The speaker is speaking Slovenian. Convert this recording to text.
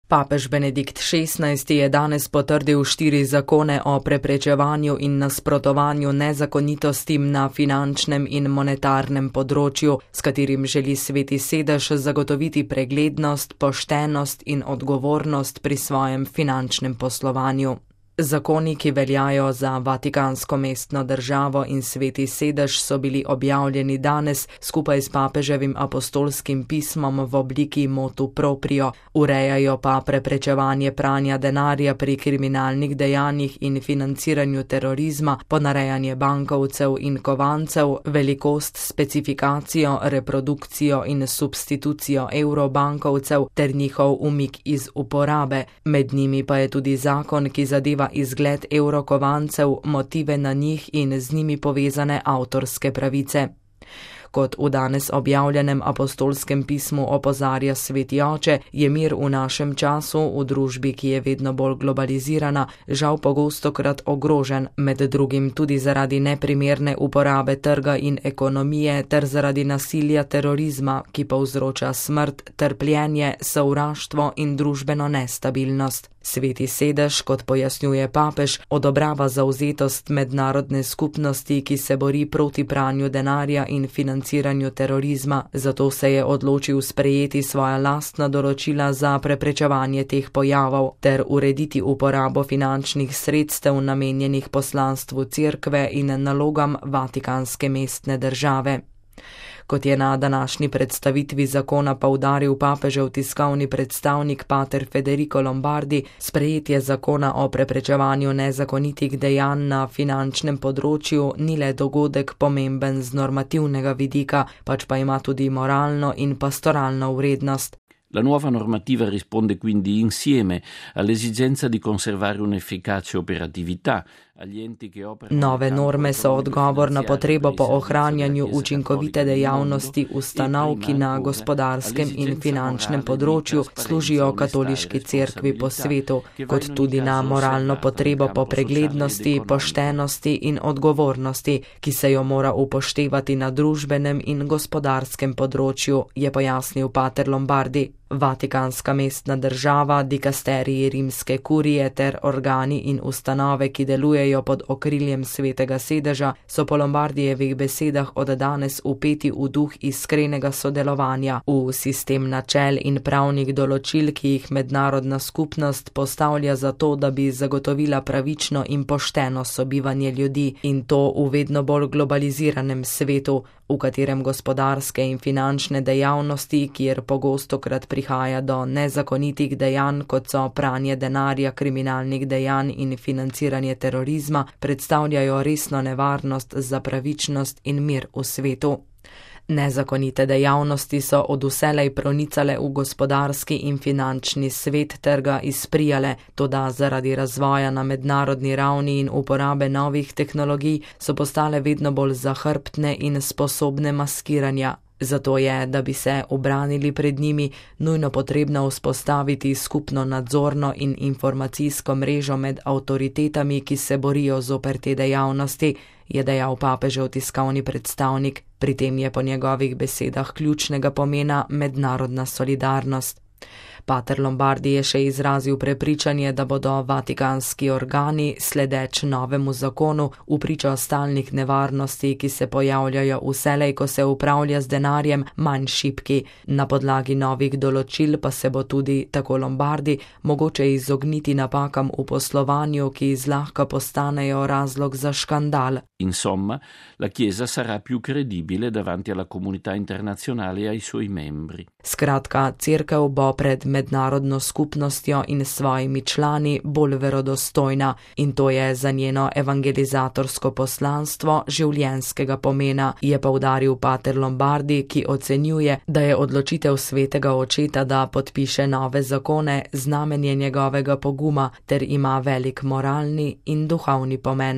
Papež Benedikt XVI je danes potrdil 4 zakone o preprečevanju in nasprotovanju nezakonitostim na finančnem in monetarnem področju, s katerim želi Sveti sedež zagotoviti preglednost, poštenost in odgovornost pri svojem finančnem poslovanju. Zakoni, ki veljajo za Vatikansko mestno državo in Sveti sedež, so bili objavljeni danes skupaj s papeževim apostolskim pismom v obliki motu proprio, urejajo pa preprečevanje pranja denarja pri kriminalnih dejanjih in financiranju terorizma, ponarejanje bankovcev in kovancev, velikost, specifikacijo, reprodukcijo in substitucijo evrobankovcev ter njihov umik iz uporabe. Med njimi pa je tudi zakon, ki zadeva izgled evrokovancev, motive na njih in z njimi povezane avtorske pravice. Kot v danes objavljenem apostolskem pismu opozarja Sveti oče, je mir v našem času, v družbi, ki je vedno bolj globalizirana, žal pogostokrat ogrožen, med drugim tudi zaradi neprimerne uporabe trga in ekonomije ter zaradi nasilja terorizma, ki povzroča smrt, trpljenje, sovraštvo in družbeno nestabilnost. Sveti sedež, kot pojasnjuje papež, odobrava zavzetost mednarodne skupnosti, ki se bori proti pranju denarja in financiranju terorizma, zato se je odločil sprejeti svoja lastna določila za preprečevanje teh pojavov ter urediti uporabo finančnih sredstev namenjenih poslanstvu cerkve in nalogam Vatikanske mestne države. Kot je na današnji predstavitvi zakona poudaril papežev tiskovni predstavnik pater Federico Lombardi, sprejetje zakona o preprečevanju nezakonitih dejanj na finančnem področju ni le dogodek pomemben z normativnega vidika, pač pa ima tudi moralno in pastoralno vrednost. La nuova normativa risponde quindi insieme all'esigenza di conservare un'efficace operatività. Nove norme so odgovor na potrebo po ohranjanju učinkovite dejavnosti ustanov, ki na gospodarskem in finančnem področju služijo katoliški cerkvi po svetu, kot tudi na moralno potrebo po preglednosti, poštenosti in odgovornosti, ki se jo mora upoštevati na družbenem in gospodarskem področju, je pojasnil pater Lombardi. Vatikanska mestna država, dikasteriji rimske kurije ter organi in ustanove, ki delujejo pod okriljem Svetega sedeža, so po Lombardijevih besedah od danes vpeti v duh iskrenega sodelovanja, v sistem načel in pravnih določil, ki jih mednarodna skupnost postavlja za to, da bi zagotovila pravično in pošteno sobivanje ljudi, in to v vedno bolj globaliziranem svetu, v katerem gospodarske in finančne dejavnosti, kjer pogostokrat prihaja do nezakonitih dejanj, kot so pranje denarja, kriminalnih dejanj in financiranje terorizma, predstavljajo resno nevarnost za pravičnost in mir v svetu. Nezakonite dejavnosti so od vselej pronicale v gospodarski in finančni svet ter ga izprijale, toda zaradi razvoja na mednarodni ravni in uporabe novih tehnologij so postale vedno bolj zahrbtne in sposobne maskiranja. Zato je, da bi se ubranili pred njimi, nujno potrebno vzpostaviti skupno nadzorno in informacijsko mrežo med avtoritetami, ki se borijo zoper te dejavnosti, je dejal papežev tiskovni predstavnik. Pri tem je po njegovih besedah ključnega pomena mednarodna solidarnost. Pater Lombardi je še izrazil prepričanje, da bodo vatikanski organi, sledeč novemu zakonu, vpričo stalnih nevarnosti, ki se pojavljajo vselej, ko se upravlja z denarjem, manj šibki. Na podlagi novih določil pa se bo tudi, tako Lombardi, mogoče izogniti napakam v poslovanju, ki zlahka postanejo razlog za škandal. Insomma, la Chiesa sarà più credibile davanti alla comunità internazionale e ai suoi membri. Skratka, cerkev bo pred mednarodno skupnostjo in svojimi člani bolj verodostojna, in to je za njeno evangelizatorsko poslanstvo življenjskega pomena, je poudaril pater Lombardi, ki ocenjuje, da je odločitev svetega očeta, da podpiše nove zakone, znamenje njegovega poguma ter ima velik moralni in duhovni pomen.